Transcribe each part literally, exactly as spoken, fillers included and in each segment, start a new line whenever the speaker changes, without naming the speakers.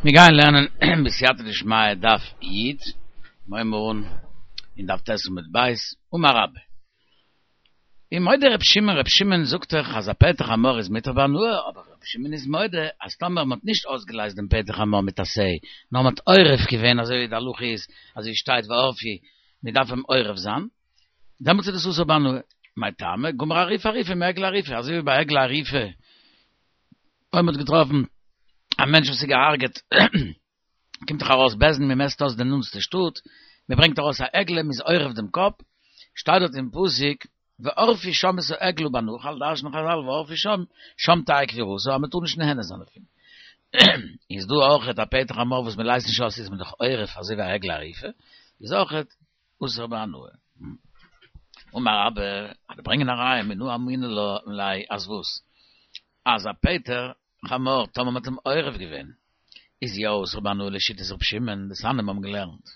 מיר גייען לערנען בסייעתא דשמיא דף י', מיר הייבן אן אין דף ט' עמוד ב', אמר רבה. ומודה ר' שמעון, ר' שמעון זאגט דאך אז א פטר חמור איז מותר בהנאה, אבער ר' שמעון איז מודה אז טאמער מ'האט נישט אויסגעלייזט דעם פטר חמור מיט א שה, נאר מ'האט עורף געווען אזוי ווי די הלכה איז, אזוי שטייט וערפו, מ'דארף אים עורף זיין, דעמאלטס איז דאס אסור בהנאה. מאי טעמא? גמר עריפה עריפה מעגלה ערופה, אזוי ווי ביי עגלה ערופה, אויב מ'האט געטראפן א מענטש וואס איז געהארגעט, קומט דאך ארויס בית דין, מ'מעסט אויס די נאנטסטע שטאט, מ'ברענגט ארויס א עגלה, מ'איז עורף דעם קאפ, שטייט דארט אין פסוק, וערפו שם את העגלה בנחל, דרש'נען חזל וערפו שם, שם תהא קבורתה, אז מ'טאר נישט נהנה זיין דערפון. איז דא אויכעט א פטר חמור וואס מ'לייזט נישט אויס איז מען דאך עורף אזוי ווי א עגלה ערופה, איז אויכעט אסור בהנאה. אמר רבה, אז ברענגען א ראיה מנא אמינא לה אז וואס? אז א פטר חמור טאמער מ'האט אים עורף געווען איז יא אסור בהנאה לשיטת ר' שמעון, דתניא מיר האבן געלערנט.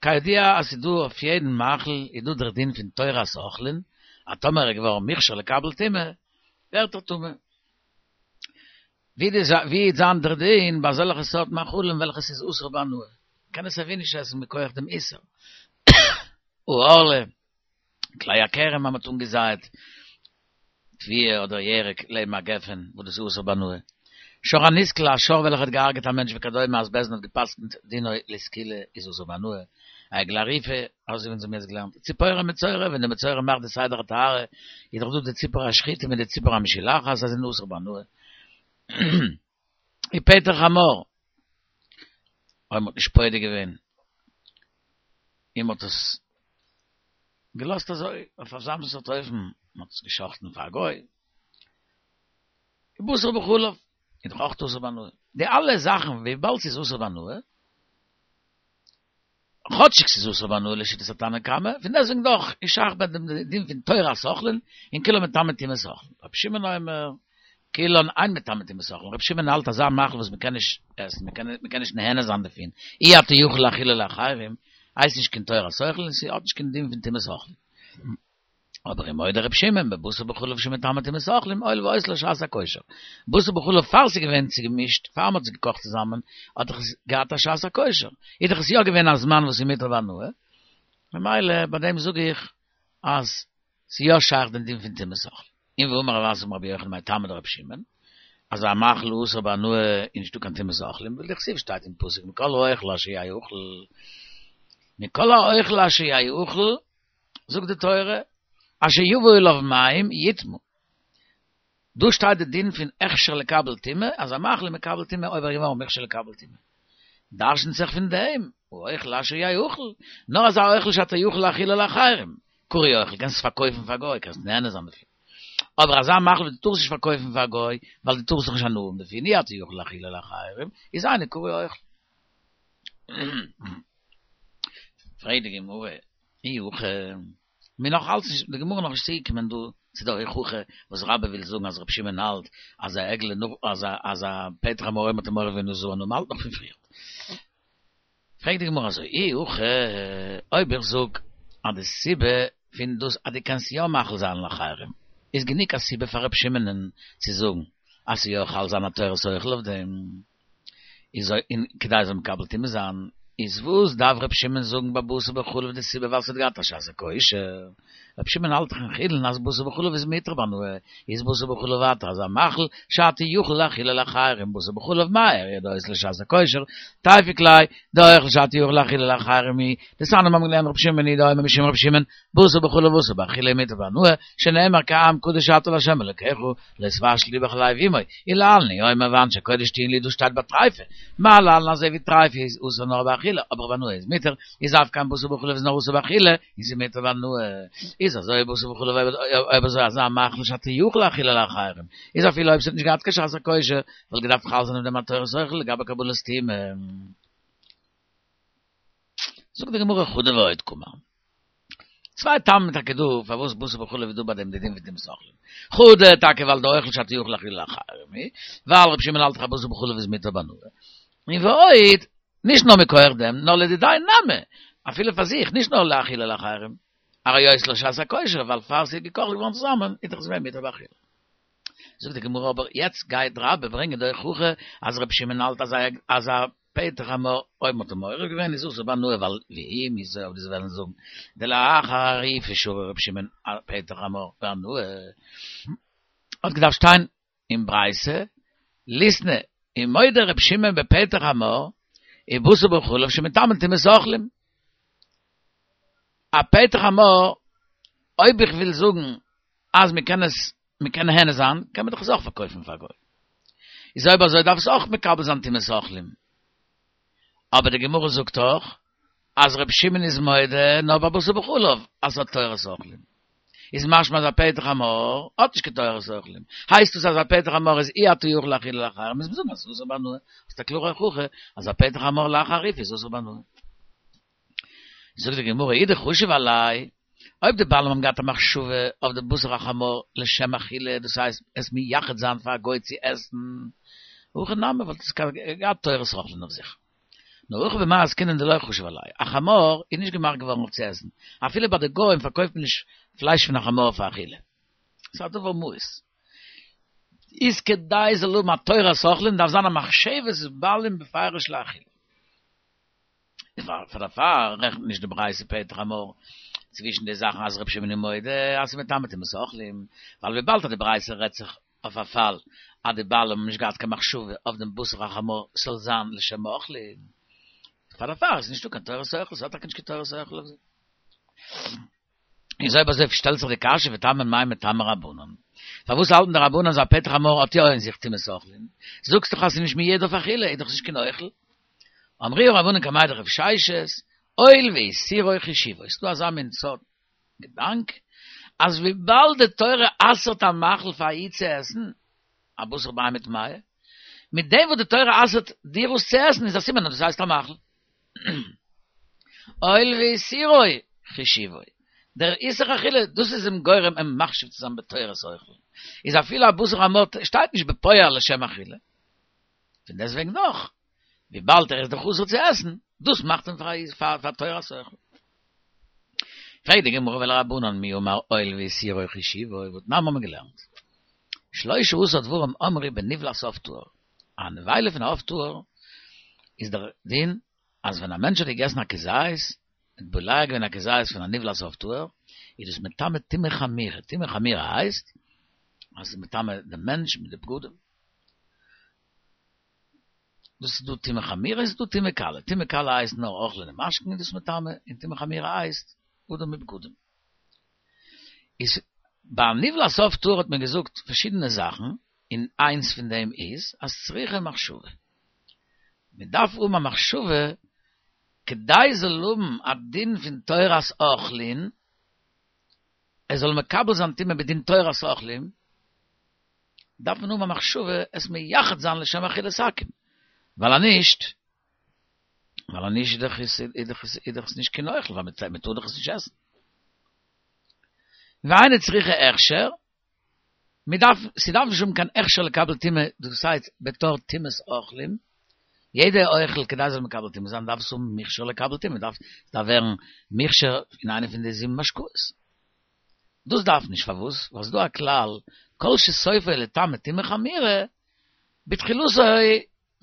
כידוע אז ס'איז דא אויף יעדן מאכל איז דא דער דין פון תורת אוכלין אז טאמער ער איז געווארן מוכשר לקבל טומאה ווערט ער טמא. ווי וועט זיין דער דין ביי אזעלכע סארט מאכלים וועלכע ס'איז אסור בהנאה? מ'קען עס סייווי נישט עסן מכח דעם איסור. הערלה, כלאי הכרם אז מ'האט אנגעזייט תבואה אדער ירק לעבן א גפן וואס דאס איז אסור בהנאה. שור הנסקל, א שור וועלכע האט געהארגעט א מענטש וכדומה אז בית דין האט געפסקנט דינו לסקילה איז אסור בהנאה. א עגלה ערופה, אזוי ווי אונז האבן יעצט געלערנט. ציפור המצורע, ווען די מצורע מאכט די סדר הטהרה איז דאך דא די ציפור השחוטה מיט די ציפור המשולחת זיי זענען אסור בהנאה. ופטר חמור, אויב מ'האט נישט פודה געווען און מ'האט עס געלאזט אזוי אויף אזא מין סארט אופן, מ'האט עס גע'שחט'ן פאר א גוי, ובשר בחלב, איז דאך אויך אסור בהנאה. די אלע זאכן וויבאלד ס'איז אסור בהנאה, כאטשיג ס'איז אסור בהנאה לשיטת התנא קמא, פון דעסטוועגן דאך איז שייך ביי דעם דין פון תורת אוכלין, און כולן מטמא טומאת אוכלין. רבי שמעון אומר, כולן אין מטמא טומאת אוכלין, רבי שמעון האלט אזא מאכל וואס מ'קען נישט עסן, מ'קען נישט נהנה זיין דערפון, אי אתה יכול להאכילו לאחרים, הייסט נישט קיין תורת אוכלין און ס'האט נישט קיין דין פון טומאת אוכלין. אבער ומודה ר' שמעון בבשר בחלב שמטמא טומאת אוכלים הואיל והיתה לו שעת הכושר. בשר בחלב פאר ס'איז געווען צוגעמישט, פאר מ'האט עס געקאכט צוזאמען, האט דאך עס געהאט א שעת הכושר. איז דאך עס יא געווען א זמן וואס איז מותר בהנאה. ממילא ביי דעם זאג איך אז ס'איז יא שייך דעם דין פון טומאת אוכלים. און ואמר רב אסי אמר רבי יוחנן מאי טעמא דרבי שמעון, אז א מאכל אסור בהנאה איז נישטא קיין טומאת אוכלים, ווייל דכתיב שטייט אין פסוק מכל האוכל אשר יאכל מכל האוכל אשר יאכל זאגט די תורה, אשר יבא עליו מים יטמא. דא שטייט די דין פון הכשר לקבל טומאה, אז א מאכל איז מקבל טומאה אויב ער איז געווארן מוכשר לקבל טומאה. דרשנ'ט זיך פון דעם, האוכל אשר יאכל, נאר אזא אוכל שאתה יכול להאכילו לאחרים, קרוי אוכל, קענסט עס פארקויפן פאר גוי, קענסט נהנה זיין דערפון. אבער אזא מאכל וואס דו טארסט נישט פארקויפן פאר גוי, ווייל דו טארסט דאך נישט הנאה האבן דערפון, אי אתה יכול להאכילו לאחרים, איז אינו קרוי אוכל. פרעגט די גמרא, אי הכי, מיר נאך אלץ נישט, די גמרא נאך נישט צוגעקומען דא צו די הוכחה וואס רבה וויל זאגן אז רבי שמעון האלט אז א עגלה נאך אז א אז א פטר חמור אויב מ'האט אים עורף געווען אסור בהנאה, מ'האלט נאך פון פריער. פרעגט די גמרא אזוי, אי הכי, אויב איך זאג אז די סיבה פון דאס אז דו קענסט יא מאכיל זיין לאחרים איז גענוג א סיבה פאר רבי שמעונ'ען צו זאגן אז ס'איז יא חל זיין א תורת אוכל אויף דעם, איז און כדי עס זאל מקבל טומאה זיין, איז וואס דארף ר' שמעון זאגן ביי בשר בחלב די סיבה ווייל ס'האט געהאט א שעת הכושר? ר' שמעון האלט דאך אין חולין אז בשר בחלב איז מותר בהנאה, איז בשר בחלב ווייטער אזא מאכל שאתה יכול להאכילו לאחרים בשר בחלב מאי איריא דהיתה לו שעת הכושר, תיפוק ליה דאוכל שאתה יכול להאכילו לאחרים הוא, דתניא מיר האבן געלערנט ר' שמעון ר' יהודה אומר משום ר' שמעון, בשר בחלב אסור באכילה ומותר בהנאה, שנאמר כי עם קדוש אתה לה' אלקיך, לא תבשל אמו בחלב אמו, ולהלן הוא אומר ואנשי קודש תהיון לי דאס שטייט ביי טריפה, מה להלן אזוי ווי טריפה איז אסור נאר באכילה אבער בהנאה איז מותר, איז אף כאן בשר בחלב איז נאר אסור באכילה און ס'איז מותר בהנאה, איז אזוי בשר בחלב אויב אזוי אזא מאכל שאתה יכול להאכילו לאחרים, איז אפילו אויב ס'האט נישט געהאט קיין שעת הכושר וואלט געדארפט חל זיין אויף דעם א תורת אוכל לגבי קבלת טומאה. זאגט די גמרא חדא ועוד קאמר. צוויי טעמים טאקע דא פארוואס בשר בחלב איז דא ביי דעם די דין פון טומאת אוכלים. חדא טאקע ווייל דאוכל שאתה יכול להאכילו לאחרים הוא, ווייל רבי שמעון האלט דאך אז בשר בחלב איז מותר בהנאה. און ועוד, נישט נאר מכח דעם, נאר לדידיה נמי, אפילו פאר זיך, נישט נאר להאכילו לאחרים. הרי היתה לו שעת הכושר, ווייל פאר ס'איז געקאכט געווארן צוזאמען איז דאך עס געווען מותר באכילה. זאגט די גמרא אבער יעצט גייט רבה ברענגען די הוכחה אז רב שמעון האלט אז אז א פטר חמור אויב מ'האט אים מעורר געווען איז אסור בהנאה ווייל ואי מ'זאל אויב דו'סט וועלן זאגן דלאחר אריפה שרי רב שמעון פטר חמור בהנאה האט געדארפט שטיין אין ברייתא ליתני ומודה רב שמעון בפטר חמור ובשר בחלב שמטמא טומאת אוכלים א פטר חמור אויב איך וויל זאגן אז מ'קען עס מ'קען נהנה זיין קען מען דאך עס אויך פארקויפן פאר א גוי איז אויב אזוי דארף עס אויך מקבל זיין טומאת אוכלים אבער די גמרא זאגט דאך אז רב שמעון איז מודה נאר ביי בשר בחלב אז ס'האט תורת אוכלים איז משמע אז א פטר חמור האט נישט קיין תורת אוכלים הייסט עס אז א פטר חמור איז אי אתה יכול להאכילו לאחרים מוז מען זאגן אז ס'איז אסור בהנאה האסט א קלארע הוכחה אז א פטר חמור לאחר אריפה איז אסור בהנאה זאגט די גמרא אי דחשיב עליה אויב די בעלים האבן געהאט א מחשבה אויף די בשר החמור לשם אכילה דאס הייסט עס מייחד זיין פאר א גוי צו עסן הכי נמי וואלט עס געהאט תורת אוכלים אויף זיך נאר הכא במאי עסקינן דלא חשיב עליה א חמור איז נישט געמאכט געווארן אויף צו עסן אפילו ביי די גוים פארקויפט מען נישט פלייש פון א חמור פאר אכילה ס'איז א דבר מאוס איז כדי זאל האבן א תורת אוכלים דארף זיין א מחשבת בעלים בפירוש לאכילה פאר דערפאר רעכנט נישט די ברייתא פטר חמור צווישן די זאכן אז רבי שמעון איז מודה אז ס'איז מטמא טומאת אוכלים, ווייל וויבאלד אז די ברייתא רעדט זיך אויף א פאל אז די בעלים האבן נישט געהאט קיין מחשבה אויף דעם בשר החמור ס'זאל זיין לשם אוכלים, פאר דערפאר איז נישטא קיין תורת אוכל, ס'האט טאקע נישט קיין תורת אוכל אויף זיך. איז אויב אזוי שטעלט זיך די קשיא וטעמא מאי מטעמי רבנן, פארוואס האלטן די רבנן אז א פטר חמור האט יא אין זיך טומאת אוכלים? זאגסט דאך אז ס'איז נישט מיועד אויף אכילה, איז דאך נישט קיין אוכל. אמרוה רבנן קמיה דרב ששת, הואיל ואיסורו חשיבו, ס'דא אזא מין סארט געדאנק, אז וויבאלד די תורה אסר'ט א מאכל פאר א איד צו עסן, א בשר בהמה טמאה, מיט דעם וואס די תורה אסר'ט דיר עס צו עסן איז א סימן אז דאס הייסט א מאכל. הואיל ואיסורו חשיבו, דער איסור אכילה, דאס איז אים גורם אים מחשיב צו זיין בתורת אוכל, איז אפילו א בשר חמור שטייט נישט בפועל לשם אכילה, פון דעסטוועגן דאך, וויבאלד ער איז דאך אסור צו עסן, דאס מאכט אים פאר פאר תורת אוכל. פרעגט די גמרא ולרבנן מי אמר הואיל ואיסורו חשיבו, והתנן האבן מיר געלערנט. שלשה עשר דברים אמרו בנבלת עוף טהור. א נבילה פון א עוף טהור איז דער דין אז ווען א מענטש האט געגעסן א כזית, האט בולע געווען א כזית פון א נבלת עוף טהור, איז דאס מטמא טומאה חמורה. טומאה חמורה הייסט אז ס'איז מטמא דעם מענטש מיט די בגדים. דאס איז דא טומאה חמורה איז דא טומאה קלה, טומאה קלה הייסט נאר אוכלין און משקין איז דאס מטמא, און טומאה חמורה הייסט אדם מיט בגדים. איז ביי נבלת עוף טהור האט מען געזאגט פארשידענע זאכן, און איינס פון דעם איז אז צריכה מחשבה. מען דארף האבן א מחשבה כדי זאל האבן א דין פון תורת אוכלין, ער זאל מקבל זיין טומאה בדין תורת אוכלים, דארף מען האבן א מחשבה עס מייחד זיין לשם אכילת עכו"ם, ווייל אז נישט, ווייל אז נישט איז דאך עס איז דאך עס איז דאך עס נישט קיין אוכל, ווייל מען טאר דאך עס נישט עסן. ואינה צריכה הכשר, מען דארף, ס'דארף נישט האבן קיין הכשר לקבל טומאה, דאס הייסט בתור טומאת אוכלים, יעדע אוכל כדי זאל מקבל טומאה זיין דארף עס האבן מוכשר לקבל טומאה, דארף דארף ווערן מוכשר אין איינע פון די זיבן משקאות. דאס דארף נישט, פארוואס? ווייל ס'דא א כלל, כל שסופו לטמא טומאה חמורה, בתחילתו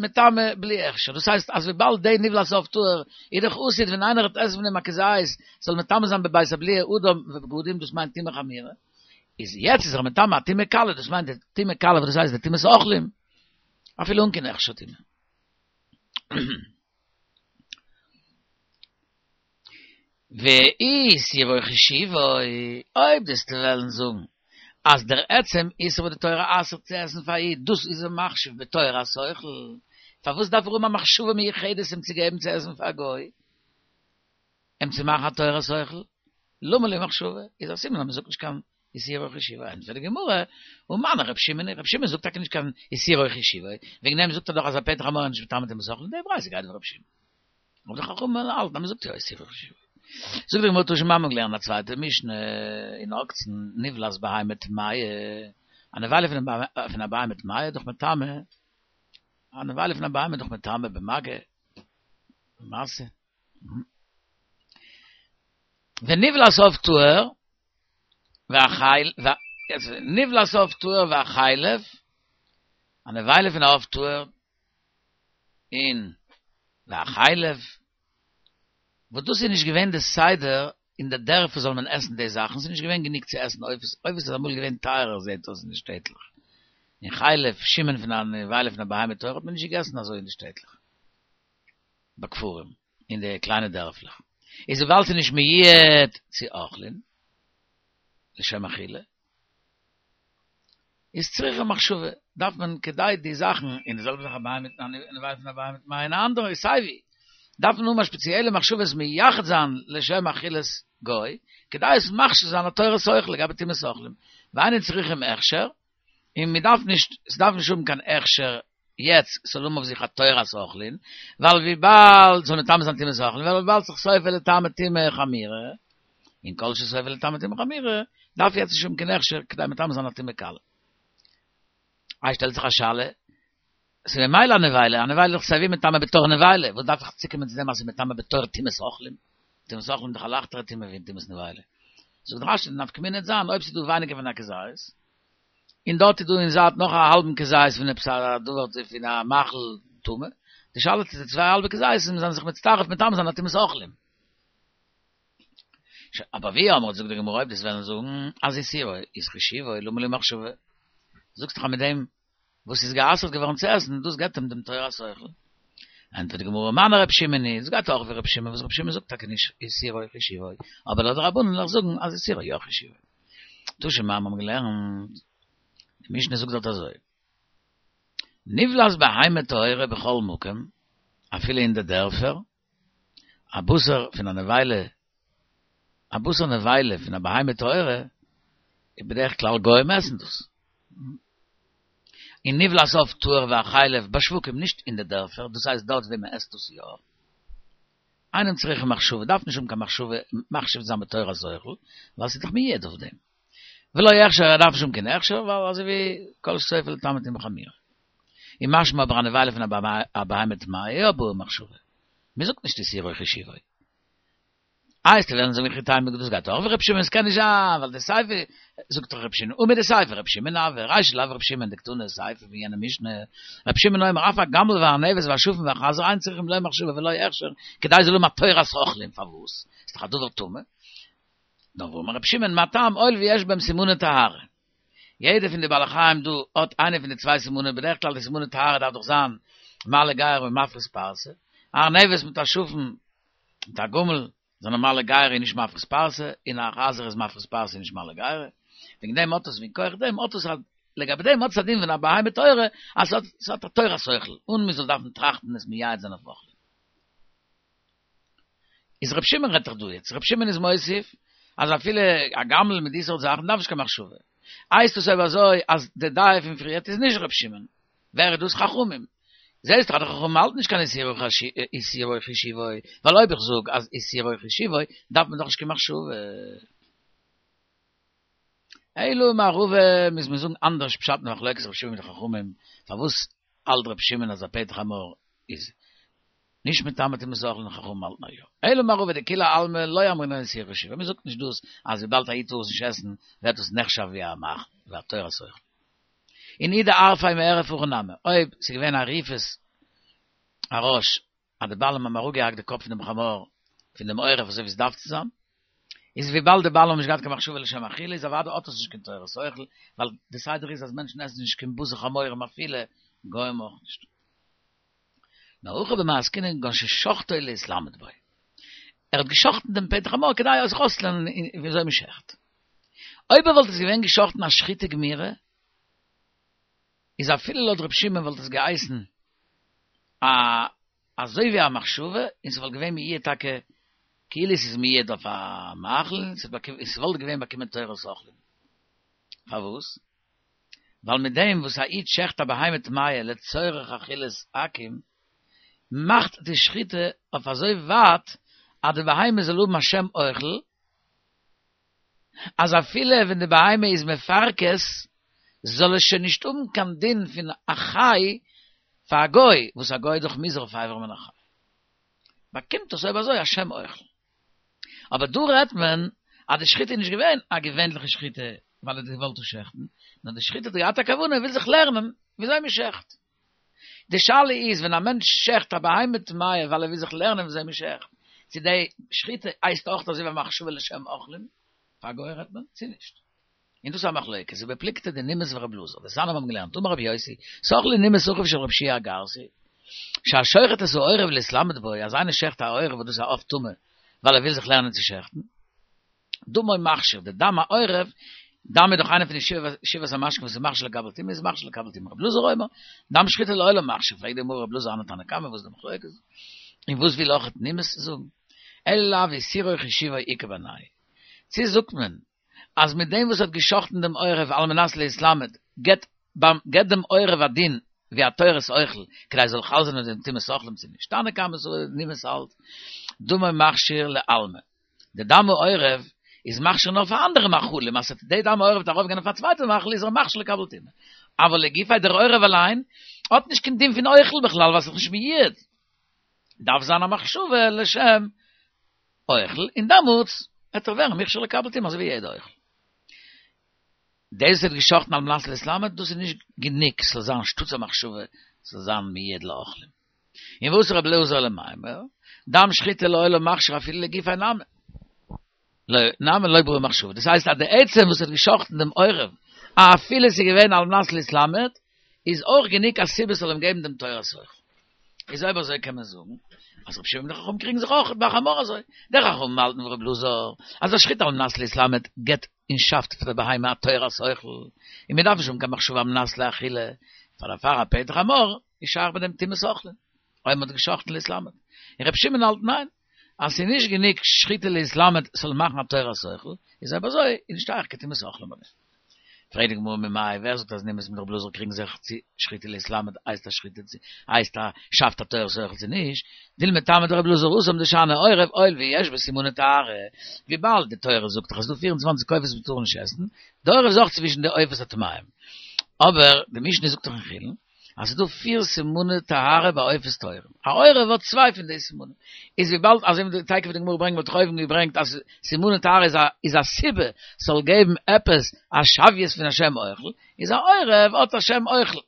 מטמא בלי הכשר, דאס הייסט אז וויבאלד די נבלת עוף טהור איז דאך עתיד ווען איינער וועט עסן פון דעם א כזית זאל מטמא זיין בבית הבליעה אדם ובגדים דאס מיינט טומאה חמורה, איז יעצט איז ער מטמא א טומאה קלה דאס מיינט די טומאה קלה וואס דאס הייסט די טומאת אוכלים אפילו אן קיין הכשר טומאה. ואיסורו חשיבו, אויב דו'סט וועלן זאגן אז דער עצם איסור וואס די תורה אסר'ט צו עסן פאר א איד, דאס איז אים מחשיב בתורת אוכל, פארוואס דארף ער האבן א מחשבה מיוחדת אים צו געבן צו עסן פאר א גוי, אים צו מאכן א תורת אוכל? למה לי מחשבה? איז א סימן אז מ'זאגט נישט קיין איסורו חשיבו, ענטפערט די גמרא, ומני ר' שמעון, ר' שמעון זאגט טאקע נישט קיין איסורו חשיבו, וועגן דעם זאגט ער דאך אז א פטר חמור איז נישט מטמא טומאת אוכלים, די ברייתא גייט ווי ר' שמעון. אבער די חכמים האלטן אז מ'זאגט יא איסורו חשיבו. זאגט די גמרא תא שמע מ'האט געלערנט א צווייטע משנה אין עוקצין נבלת בהמה טמאה, א נבילה פון א בהמה טמאה איז דאך מטמא, א נבילה פון א בהמה איז דאך מטמא במגע, במשא. ונבלת עוף טהור, והחל, יעצט, נבלת עוף טהור והחלב, א נבילה פון א עוף טהור, און והחלב, וואס דאס איז נישט געווען די סדר אין די דערפער זאל מען עסן די זאכן, ס'איז נישט געווען גענוג צו עסן עופות, עופות איז אמאל געווען טייערער זעט אויס אין די שטעטלעך, און חלב, שומן פון א נבילה פון א בהמה טהורה האט מען נישט געגעסן אזוי אין די שטעטלעך, בכפרים, אין די קליינע דערפלעך, איז וויבאלד ס'איז נישט מיועד צו אוכלין, לשם אכילה, איז צריכה מחשבה, דארף מען כדי די זאכן, און די זעלבע זאך א בהמה א נבילה פון א בהמה טמאה און א אנדערע איז סייווי, דארף מען האבן א שפעציעלע מחשבה עס מייחד זיין לשם אכילת גוי, כדי עס מכשיר זיין א תורת אוכל לגבי טומאת אוכלים, ואינן צריכים הכשר, און מען דארף נישט, עס דארף נישט האבן קיין הכשר יעצט ס'זאל האבן אויף זיך א תורת אוכלין, ווייל וויבאלד ס'זאל מטמא זיין טומאת אוכלין, ווייל וויבאלד ס'איז סופה לטמא טומאה חמורה, און כל שסופה לטמא טומאה חמורה, דארף יעצט נישט האבן קיין הכשר כדי מטמא זיין א טומאה קלה. איי שטעלט זיך א שאלה, ס'איז ממילא א נבילה, א נבילה איז דאך סייווי מטמא בתור נבילה, וואס דארף איך צוקומען צו דעם אז ס'איז מטמא בתור טומאת אוכלים? טומאת אוכלים איז דאך א לייכטערע טומאה ווי טומאת נבילה. זאגט רש"י די נפקא מינה וועט זיין אויב ס'איז דא ווייניגער פון א כזית, און דארט איז דא אין זייט נאך א האלבן כזית פון עפעס א דבר פון א מאכל טמא, די שאלה צו די צוויי האלבע כזיתים זענען זיך מצטרף מטמא זיין א טומאת אוכלים. אבער ואי אמרת זאגט די גמרא אויב דו'סט וועלן זאגן אז איסורו איז חשיבו למה לי מחשבה, זאגסט דאך אז מיט דעם וואס איז גע'אסר'ט געווארן צו עסן דאס געבט אים דעם תורת אוכל. ענטפערט די גמרא מני ר' שמעון היא, עס גייט אויך ווי ר' שמעון וואס ר' שמעון זאגט טאקע נישט איסורו חשיבו, אבער לויט די רבנן וועל איך זאגן אז איסורו יא חשיבו. תא שמע מיר האבן געלערנט, די משנה זאגט דארט אזוי, נבלת בהמה טהורה בכל מקום, אפילו אין די דערפער, א בשר פון א נבילה, א בשר נבילה פון א בהמה טהורה, איז בדרך כלל גוים עסן דאס. און נבלת עוף טהור והחלב בשווקים נישט אין די דערפער, דאס הייסט דארט ווי מען עסט דאס יא. אינם צריכים מחשבה, דארף נישט האבן קיין מחשבה מחשיב זיין בתורת אוכל, ווייל ס'איז דאך מיועד אויף דעם. ולא הכשר, ער דארף נישט האבן קיין הכשר, ווייל אזוי ווי כל שסופה לטמא טומאה חמורה. און משמע אבער א נבילה פון א בהמה טמאה יא בעי מחשבה. מען זאגט נישט איסורו חשיבו. איי וועסטו וועלן זאגן וכי תימא דאס גייט אויך ווי ר' שמעון עס קען נישט זיין ווייל די סיפא זאגט דאך ר' שמעון און מדסיפא ר' שמעון הוי רישא לאו ר' שמעון דקתני סיפא פון יענע משנה ר' שמעון אומר אף הגמל והארנבת והשפן והחזיר אין צריכים לא מחשבה ולא הכשר כדי זאל האבן א תורת אוכלים פארוואס איז דאך א דבר טמא נאר ואמר ר' שמעון מה טעם הואיל ויש בהם סימני טהרה יעדע פון די בעלי חיים דא האט איינע פון די צוויי סימנים בדרך כלל די סימני טהרה דארף דאך זיין מעלה גרה און מפריס פרסה ארנבת מיט א שפן מיט א גמל זענען מעלה גרה און נישט מפריס פרסה, און א חזיר איז מפריס פרסה און נישט מעלה גרה, וועגן דעם האט עס מכח דעם האט עס א לגבי דעם האט עס א דין פון א בהמה טהורה אז ס'האט ס'האט א תורת אוכל אן מ'זאל דארפן טראכטן עס מייעד זיין אויף אוכלים. איז ר' שמעון רעדט דאך דא יעצט, ר' שמעון איז מוסיף אז אפילו א גמל מיט די סארט זאכן דארף נישט קיין מחשבה. הייסט עס אויב אזוי אז די דעה פון פריערט איז נישט ר' שמעון, ווער איז דאס חכמים? זעהסט דאך אז די חכמים האלטן נישט קיין איסורו חשיבו, ווייל אויב איך זאג אז איסורו חשיבו דארף מען דאך נישט קיין מחשבה. אלא אמר רבא מוז מען זאגן אנדערש פשט אין מחלוקת רבי שמעון מיט די חכמים, פארוואס האלט רבי שמעון אז א פטר חמור איז נישט מטמא טומאת אוכלין און חכמים האלטן אז יא. אלא אמר רבא דכולי עלמא לא אמרינן איסורו חשיבו, מען זאגט נישט דאס אז וויבאלד א איד טאר עס נישט עסן ווערט עס נחשב ווי א מאכל, ווי א תורת אוכל. און אי דערפיה מערף הכי נמי, אויב ס'איז געווען עריפת הראש אז די בעלים האבן אראפגעהאקט די קאפ פון דעם חמור פון דעם עורף אזוי ווי עס דארף צו זיין, איז וויבאלד די בעלים האבן נישט געהאט קיין מחשבה לשם אכילה איז אוודאי האט עס נישט קיין תורת אוכל, ווייל די סדר איז אז מענטשן עסן נישט קיין בשר חמורים אפילו גוים אויך נישט. נאר הכא במאי עסקינן כגון ששחטו להתלמד בו. ער האט געשחטן דעם פטר חמור כדי זיך אויסצולערנען ווי אזוי מען שעכט. אויב ער וואלט עס געווען געשחטן א שחיטה גמירה, איז אפילו לויט ר' שמעון וואלט עס געהייסן א אזוי ווי א מחשבה, און ס'וואלט געווען מיועד טאקע כאילו ס'איז מיועד אויף א מאכל, און ס'וואלט געווען באקומען תורת אוכלים. פארוואס? ווייל מיט דעם וואס א איד שעכט א בהמה טמאה לצורך אכילת עכו"ם, מאכט די שחיטה אויף אזוי ווייט אז די בהמה זאל האבן א שם אוכל, אז אפילו ווען די בהמה איז מפרכס זאל עס שוין נישט האבן קיין דין פון א חי פאר א גוי, וואס א גוי איז דאך מוזהר אויף אבר מן החי, באקומט עס אויב אזוי א שם אוכל. אבער דא רעדט מען אז די שחיטה איז נישט געווען א געווענליכע שחיטה, ווייל ער האט געוואלט שעכטן, נאר די שחיטה האט געהאט א כוונה, ער וויל זיך לערנען וויאזוי מען שעכט. די שאלה איז, ווען א מענטש שעכט א בהמה טמאה ווייל ער וויל זיך לערנען וויאזוי מען שעכט, צו די שחיטה הייסט אויך אזוי ווי א מחשבה לשם אוכלים, פאר גוי רעדט מען, צו נישט. און דאס איז א מחלוקת, ובפלוגתא דנימוס ורב אלעזר, דתניא האבן געלערנט, אמר רבי יוסי, סח לי נימוס אחיו של רב שיע הגרסי, שהשוחט את העורב להתלמד בו, אז איינער שעכט א עורב וואס דאס איז א עוף טמא, ווייל ער וויל זיך לערנען צו שעכטן, דמו מכשיר, די דם העורב, דם איז דאך איינע פון די שבעת המשקין וואס איז מכשיר לקבל טומאה, איז מכשיר לקבל טומאה. רב אלעזר אומר, דם שחיטה לעולם מכשיר, פרעגט די גמרא רב אלעזר אנא תנא קמא, וואס איז די מחלוקת? און וואס וויל אויך נימוס זאגן? אלא לאו איסורו חישיבו איכא בינייהו. צו זאגט מען אז מיט דעם וואס האט געשאכטן דעם עורב על מנת להתלמד, געבט געבט דעם עורב א דין ווי א תורת אוכל, כדי עס זאל חל זיין אויף דעם טומאת אוכלים צו נישט. תנא קמא סבר נימוס האלט דמו מכשיר לעלמא. די דם העורב איז מכשיר נאר פאר אנדערע מאכלים, אז די דם העורב וועט ארויפגיין אויף א צווייטע מאכל איז ער מכשיר לקבל טומאה. אבל לגופיה דער עורב אליין האט נישט קיין דין פון אוכל בכלל ווייל ס'איז נישט מיועד. דארף זיין א מחשבה לשם אוכל און דעמאלטס וועט ער ווערן מוכשר לקבל טומאה אזוי ווי יעדע אוכל. דאס וואס האט געשאכטן על מנת להתלמד דאס איז נישט גענוג ס'זאל זיין שטאטס א מחשבה ס'זאל זיין מיועד לאוכלים. און ואתא רבי אלעזר למימר, דם שחיטה לעולם מכשיר אפילו לגופיה נמי. לא, נמי לא בעי מחשבה. דאס הייסט אז די עצם וואס האט געשאכטן דעם עורב, אפילו ס'איז געווען על מנת להתלמד, איז אויך גענוג א סיבה ס'זאל אים געבן דעם תורת אוכל. איז אויב אזוי קען מען זאגן, אז רבי שמעון און די חכמים קריגן זיך אויך ביי חמור אזוי. די חכמים האלטן ווי רבי אלעזר, אז א שחיטה על מנת להתלמד געבט און שאפט פאר די בהמה א תורת אוכל, און מ'דארף נישט האבן קיין מחשבה על מנת לאכילה, פאר דערפאר א פטר חמור איז שייך ביי דעם טומאת אוכלים, אויב מ'האט געשאכטן להתלמד. און רבי שמעון האלט ניין, אז ס'איז נישט גענוג שחיטה להתלמד ס'זאל מאכן א תורת אוכל, איז אויב אזוי איז נישט שייך קיין טומאת אוכלים ביי דעם. פרעגט די גמרא ממאי, ווער זאגט אז נימוס מיט רב אלעזר קריגן זיך צו שחיטה להתלמד הייסט א שחיטה צו הייסט א שאפט א תורת אוכל צו נישט, דילמא טעמא דרב אלעזר התם דשאני עורב הואיל ויש בו סימני טהרה, וויבאלד די תורה זאגט דאך אז ס'דא פֿיר און צוואַנציק עופות וואס מ'טאר נישט עסן, די עורב איז אויך צווישן די עופות הטמאים, אבער די משנה זאגט דאך אין חולין אז ס'איז דא פיר סימני טהרה ביי עופות טהורים, א עורב האט צוויי פון די סימנים, איז וויבאלד אזוי ווי תיכף די גמרא ברענגט מ'האט דאך אויבן געברענגט אז סימני טהרה איז א איז א סיבה ס'זאל געבן עפעס א שוויות פון א שם אוכל, איז א עורב האט א שם אוכל,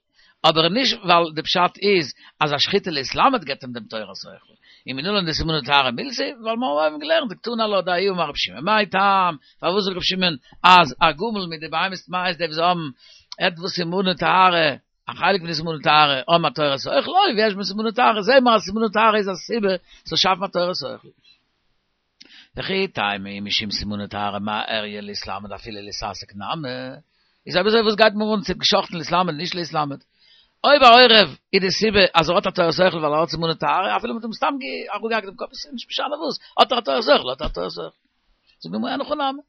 אבער נישט ווייל די פשט איז אז א שחיטה להתלמד געבט אים דעם תורת אוכל, און מנלן דסימני טהרה מילתא, ווייל מ'האט אויבן געלערנט דקתני עלה דההוא אמר רבי שמעון מאי טעם, פארוואס זאגט רבי שמעון אז א גמל מיט די בהמות טמאות די וואס האבן עטוואס סימני טהרה, א חלק פון די סימני טהרה האבן א תורת אוכל, הואיל ויש בו סימני טהרה, זעהן מיר אז סימני טהרה איז א סיבה ס'זאל שאפן א תורת אוכל. וכי תימא אי משום סימני טהרה מה איריא להתלמד אפילו להתעסק נמי, איז אויב אזוי וואס גייט מיר אן צו געשאכטן להתלמד נישט להתלמד? אויב א עורב איז די סיבה אז ער האט א תורת אוכל ווייל ער האט סימני טהרה, אפילו מ'האט אים סתם אראפגעהאקט דעם קאפ איז נישט משנה וואס, האט ער א תורת אוכל האט ער א תורת אוכל. זאגט די גמרא אין הכי נמי.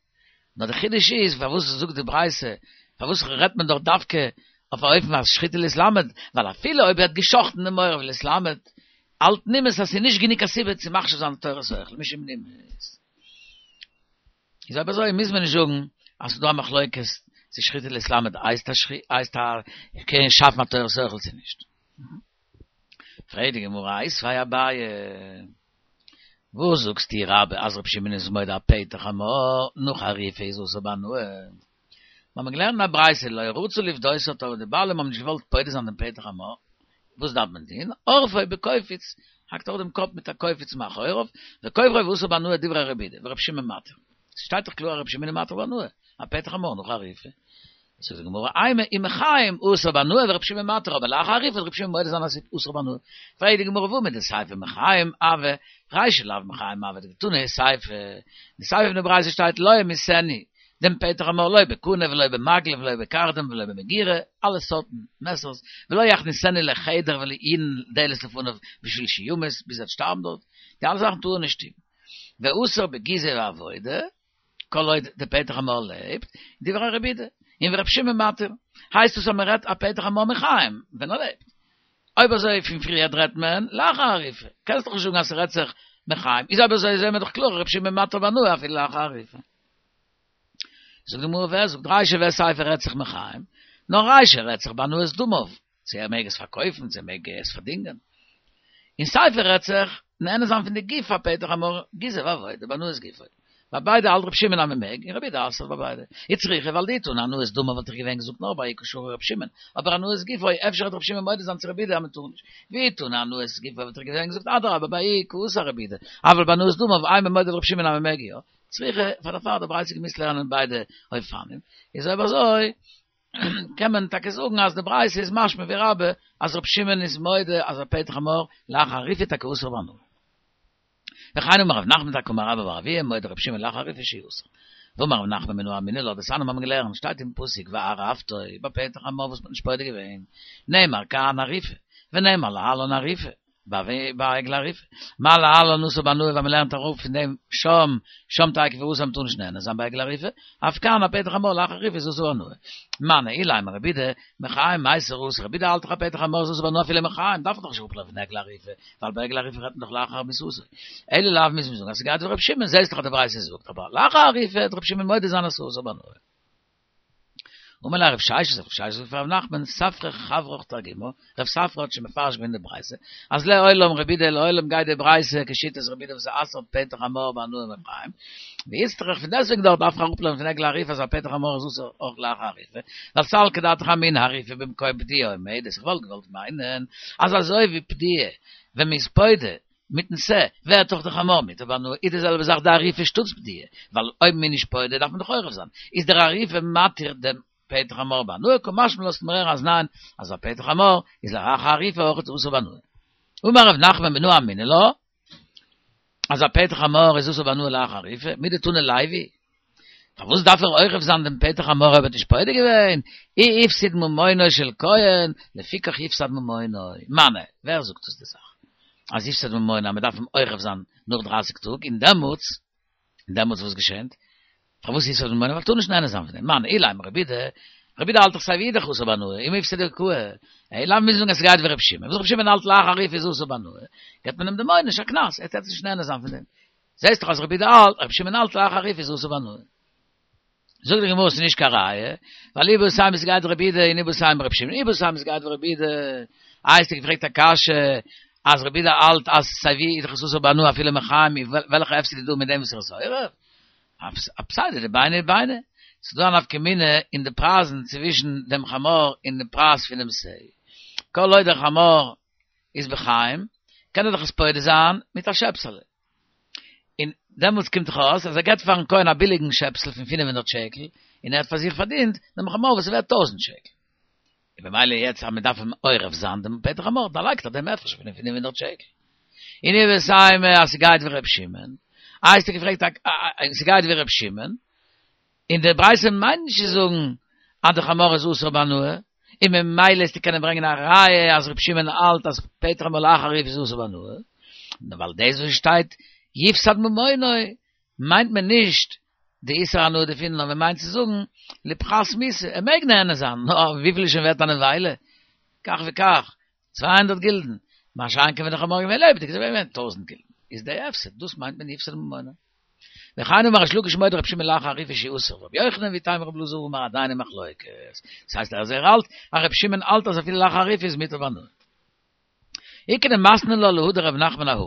נאר די חידוש איז פארוואס זאגט די ברייתא, פארוואס רעדט מען דאך דווקא אויף א אופן אז שחיטה להתלמד, ווייל אפילו אויב ער האט געשאכטן דעם עורב להתלמד, האלט נימוס אז ס'איז נישט גענוג א סיבה צו מכשיר זיין תורת אוכל, משום נימוס. איז אויב אזוי מוז מען נישט זאגן אז ס'איז דא א מחלוקת צו שחיטה להתלמד הייסט א הייסט א קען שאפן א תורת אוכל צו נישט. פרעגט די גמרא איתיביה אביי, וואס זאגסטו רבה אז רבי שמעון איז מודה א פטר חמור נאך אריפה איז אסור בהנאה? מיר האבן געלערנט אין א ברייתא לא רצו לפדותו אבער די בעלים האבן נישט געוואלט פודה זיין דעם פטר חמור, וואס דארף מען טון? עורפו בקופיץ, האקט אראפ דעם קאפ מיט א קופיץ מאחוריו, וכופרו ואסור בהנאה דברי רבי יהודה, ורבי שמעון מתיר. ס'שטייט דאך קלאר אז רבי שמעון איז מתיר בהנאה, א פטר חמור נאך אריפה. זאגט די גמרא, אימא אם מחיים אסור בהנאה ורבי שמעון מתיר, אבער לאחר אריפה וועט רבי שמעון מודה זיין אז ס'איז אסור בהנאה. פרעגט די גמרא והא מדסיפא מחיים הוי, רישא לאו מחיים הוי דקתני סיפא, די סיפא פון די ברייתא שטייט לא ימיתנו, דעם פטר חמור לא בקנה ולא במגל ולא בקרדום ולא במגורה, אלע סארטן מעסערס, ולא יכניסנו לחדר ולא ינעול דלת לפניו בשביל שימות, ביז ער וועט שטארבן דארט, די אלע זאכן טאר ער נישט טון. ואסור בגיזה ועבודה, כל עוד די פטר חמור לעבט, דברי רבי יהודה, און ורבי שמעון מתיר, הייסט עס אז מען רעדט א פטר חמור מחיים, ווען ער לעבט. אויב אזוי פון פריערט רעדט מען לאחר אריפה, קענסט דאך נישט זאגן אז ס'רעדט זיך מחיים, איז אויב אזוי זעהן מיר דאך קלאר רבי שמעון מתיר בהנאה אפילו לאחר אריפה. זאגט די גמרא ווער זאגט רישא וסיפא רעדט זיך מחיים, נאר רישא רעדט זיך בהנאת דמיו, צו ער מעג עס פארקויפן צו ער מעג עס פארדינגען, און סיפא רעדט זיך נהנה זיין פון די גוף הפטר חמור גיזה ועבודה בהנאת גופו, ביי ביידע האלט רב שמעון אז מען מעג, און רבי יהודה אסר'ט ביי ביידע. איצטריכא ווייל דאי תנא הנאת דמיו וואלט איך געווען געזאגט נאר ביי איכא שרי רב שמעון, אבער הנאת גופו אפשר וועט רב שמעון מודה זיין צו רבי יהודה אז מען טאר נישט. ואי תנא הנאת גופו וואלט איך געווען געזאגט אדרבה ביי איכא אסר רבי יהודה, אבל ביי הנאת דמיו אימא מודה לרב שמעון אז מען מעג יא. צריכא פאר דערפאר האט די ברייתא געמוזט לערנען ביידע אופנים. איז אויב אזוי קען מען טאקע זאגן אז די ברייתא איז משמע ווי רבה אז רב שמעון איז מודה אז א פטר חמור לאחר אריפה טאקע אסור בהנאה. וכן אמר רב נחמן טאקע אמר רבה בר אבוה מודה רב שמעון לאחר אריפה שהוא אסור. ואמר רב נחמן מנא אמינא לה דתניא האבן געלערנט שטייט אין פסוק וערפתו ביי פטר חמור וואס מ'האט נישט פודה געווען נאמר כאן עריפה ונאמר להלן עריפה ביי עגלה ערופה מה להלן אסור בהנאה ווייל מ'לערנט אראפ פון דעם שם שם תיכף אסור מ'טאר נישט נהנה זיין ביי עגלה ערופה אף כאן א פטר חמור לאחר אריפה איז אסור בהנאה מני אילימא רבי יהודה מחיים מיסר אסור רבי יהודה האלט דאך א פטר חמור איז אסור בהנאה אפילו מחיים דארף מען דאך נישט אראפלערנען פון עגלה ערופה ווייל ביי עגלה ערופה רעדט מען דאך לאחר מיתתו אלא לאו מוז מען זאגן אז ס'גייט ווי ר' שמעון זעסט דאך אז די ברייתא זאגט אבער לאחר אריפה וועט ר' שמעון מודה זיין אז ס'איז אסור בהנאה. אמר ליה רב ששת, רב ששת זאגט פאר רב נחמן, ספרא חברך תרגימא, רב ספרא האט שוין מפרש געווען די ברייתא, אז לעולם רבי יהודה לעולם גייט די ברייתא כשיטת רבי יהודה וואס אסר'ט פטר חמור בהנאה מחיים, ואיצטריך פון דעסוועגן דארט דארף איך אראפלערנען פון עגלה ערופה אז א פטר חמור איז אסור אויך לאחר אריפה, ווייל סלקא דעתך אמינא אריפה במקום פדיה עומדת, איך וואלט געוואלט מיינען אז אזוי ווי פדיה ווען מ'איז פודה מיטן שה ווערט דאך די חמור מותר בהנאה, איז די זעלבע זאך די אריפה שטאטס פדיה, ווייל אויב מ'איז נישט פודה דארף מען דאך עורף זיין, איז דער אריפה מתיר דעם פטר חמור בהנאה, קא משמע לן לאזט מיר הערן אז ניין, אז א פטר חמור איז לאחר אריפה אויך אסור בהנאה. אמר רב נחמן מנא אמינא לה, אז א פטר חמור איז אסור בהנאה לאחר אריפה, מדתני לוי, פארוואס דארף ער עורף זיין דעם פטר חמור אויב ער האט נישט פודה געווען? אי הפסיד ממונו של כהן, לפיכך יפסד ממונו. מני, ווער זאגט דאס די זאך? אז יפסד ממונו אז מען דארף אים עורף זיין נאך דרייסיג טאג, און דעמאלטס, און דעמאלטס וואס געשענט? פארוואס יפסד ממונו? ווייל טאר נישט נהנה זיין פון דעם. מני, אילימא רבי יהודה, רבי יהודה האלט דאך סיי ווי דאך אסור בהנאה, אם הפסיד קאי. אלא לאו מוז זאגן אז ס'גייט ווי רבי שמעון. וואס רבי שמעון האלט לאחר אריפה איז אסור בהנאה, געבט מען אים דעם עונש, א קנס, ער טאר נישט נהנה זיין פון דעם. זעסט דאך אז רבי יהודה האלט, רבי שמעון האלט לאחר אריפה איז אסור בהנאה. זאגט די גמרא ס'איז נישט קיין ראיה, ווייל איבעית אימא ס'גייט רבי יהודה און איבעית אימא רבי שמעון, איבעית אימא ס'גייט ווי רבי יהודה, איי האסטו געפרעגט א קשיא אז רבי יהודה האלט אז סיי ווי איז דאך עס אסור בהנאה אפילו מחיים, וועלכע הפסד איז דא מיט דעם וואס ער איז עורף? אפסיידא דביני לביני, ס'איז דא א נפקא מינה אין די פרייזן צווישן דעם חמור און די פרייז פונעם שה, כל עוד דער חמור איז בחיים קען ער דאך עס פודה זיין מיט א שעפסעלע, און דעמאלטס קומט דאך אויס אז ער געבט פארן כהן א ביליגן שעפסל פון פינף הונדערט שקל, און ער האט פאר זיך פארדינט דעם חמור וואס איז ווערט טויזנט שקל. און במילא יעצט אז מען דארף אים עורף זיין דעם פטר חמור, דערלייגט ער דעם הפרש פון די פינף הונדערט שקל. און איבעית אימא אז ס'גייט ווי ר' שמעון, איי האסטו געפרעגט א ס'גייט ווי ר' שמעון, און די ברייתא מיינט נישט צו זאגן אז די חמור איז אסור בהנאה, און ממילא וועסטו קענען ברענגען א ראיה אז ר' שמעון האלט אז פטר חמור לאחר אריפה איז אסור בהנאה, נאר ווייל דאס וואס שטייט יפסד ממונו מיינט מען נישט די איסור הנאה דערפון נאר מען מיינט צו זאגן לפחת מיתה, ער מעג נהנה זיין, נאר וויפיל איז שוין ווערט א נבילה? כך וכך, צוויי הונדערט גילדן, מה שאין כן ווען די חמור איז געווען לעבעדיג איז ער געווען ווערט טויזנט גילדן, איז די הפסד, דאס מיינט מען יפסד ממונו. וכן אמר ריש לקיש מודה רבי שמעון לאחר אריפה שהוא אסור רבי יוחנן ואיתימא רבי אלעזר אמר עדיין אין מחלוקת דאס הייסט אז ער האלט אז רבי שמעון האלט אז אפילו לאחר אריפה איז מותר בהנאה. איכא דמתני לה להא דרב נחמן אהא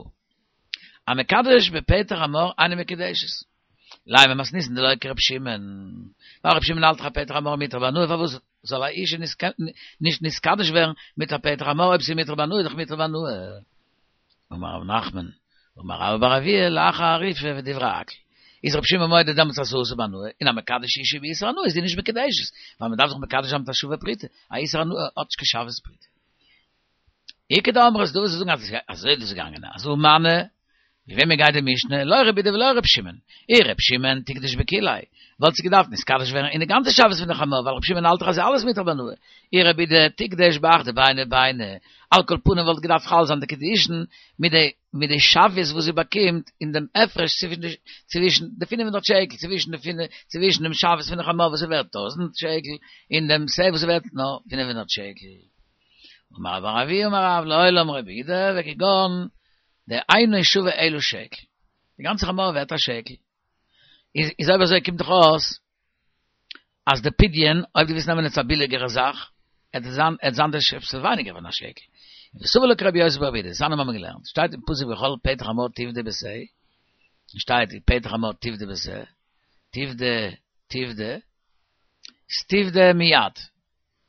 המקדש בפטר חמור אינה מקודשת לימא מתניתין דלא כרבי שמעון ווייל רבי שמעון האלט דאך א פטר חמור מותר בהנאה פארוואס זאל א אישה נישט נתקדש ווערן מיט א פטר חמור אויב ס'איז מותר בהנאה איז דאך מותר בהנאה. אמר רב נחמן, אמר רבה בר אבוה, לאחר אריפה ודברי הכל. איז רבי שמעון מודה דעמאלטס אז ס'איז אסור בהנאה, און המקדש אישה באיסור הנאה איז זי נישט מקודשת, ווייל מ'דארף זיך מקדש זיין מיט א שווה פרוטה, א איסור הנאה האט נישט קיין שווה פרוטה. איכא דאמרי ס'איז דא וואס זאגן אז אזוי איז דאס געגאנגען, אז הא מני, ווי וועמען גייט די משנה? לא רבי יהודה ולא רבי שמעון. אי רבי שמעון תקדש בכוליה, וואלט זי געדארפט נתקדש ווערן אין די גאנצע שוויות פון די חמור, ווייל רבי שמעון האלט דאך אז ס'איז אלעס מותר בהנאה. אי רבי יהודה תקדש באחדא ביני וביני, על כל פנים וואלט געדארפט חל זיין די קידושין מיט די מיט די שוויות וואס זי באקומט אין דעם הפרש צווישן די צווישן די פינף הונדערט שקל צווישן די פינף צווישן דעם שוויות פון די חמור וואס איז ווערט טויזנט שקל און דעם שה וואס איז ווערט נאר פינף הונדערט שקל. אמר רבה בר אבוה אמר רב לעולם רבי יהודה וכגון דאינו שווה אלא שקל. די גאנצע חמור ווערט א שקל. איז איז אויב אזוי קומט דאך אויס אז די פדיון, אויב דו ווילסט נעמען עס א ביליגערע זאך, עט זיין עט זיין די שעפסל ווייניגער פון א שקל. וסבר לה כרבי יוסי ברבי יהודה, דתניא האבן מיר געלערנט, שטייט אין פסוק וכל פטר חמור תפדה בשה, שטייט פטר חמור תפדה בשה, תפדה, תפדה, ס'תפדה מיד.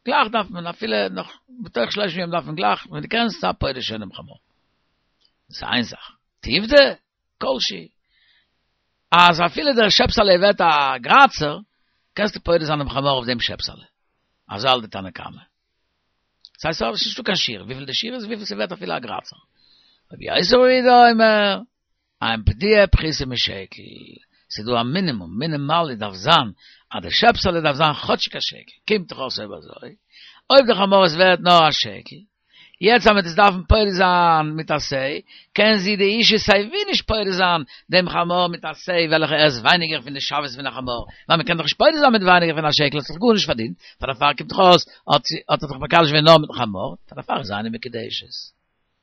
גלייך דארף מען אפילו נאך בתוך שלושים יום דארף מען גלייך, ווען דו קענסט זיי פודה שוין דעם חמור. דאס איז איין זאך. תפדה, כל שהוא. אז אפילו דער שעפסעלע ווערט א גראצער, קענסטו פודה זיין דעם חמור אויף דעם שעפסעלע. אזוי האלט די תנא קמא. דאס הייסט ס'איז נישטא קיין שיעור, וויפיל די שיעור איז, וויפיל ס'ווערט אפילו א גראצער. רבי יוסי ברבי יהודה אומר, אין פדיה פחותה משקל. ס'איז דא א מינימום, מינימאלי דארף זיין, אז די שעפסעלע דארף זיין כאטשיג א שקל. קומט דאך אויס אויב אזוי, אויב די חמור איז ווערט נאר א שקל, יעצט אז מ'וועט עס דארפן פודה זיין מיט א שה, קען זי די אישה סיי ווי נישט פודה זיין דעם חמור מיט א שה וועלכע ער איז ווייניגער פון די שוויות פון א חמור, ווייל מ'קען דאך נישט פודה זיין מיט ווייניגער פון א שקל, האט זיך גארנישט פארדינט, פאר דערפאר קומט דאך אויס האט זי האט ער זיך מקדש געווען נאר מיטן חמור, פאר דערפאר איז אינה מקודשת.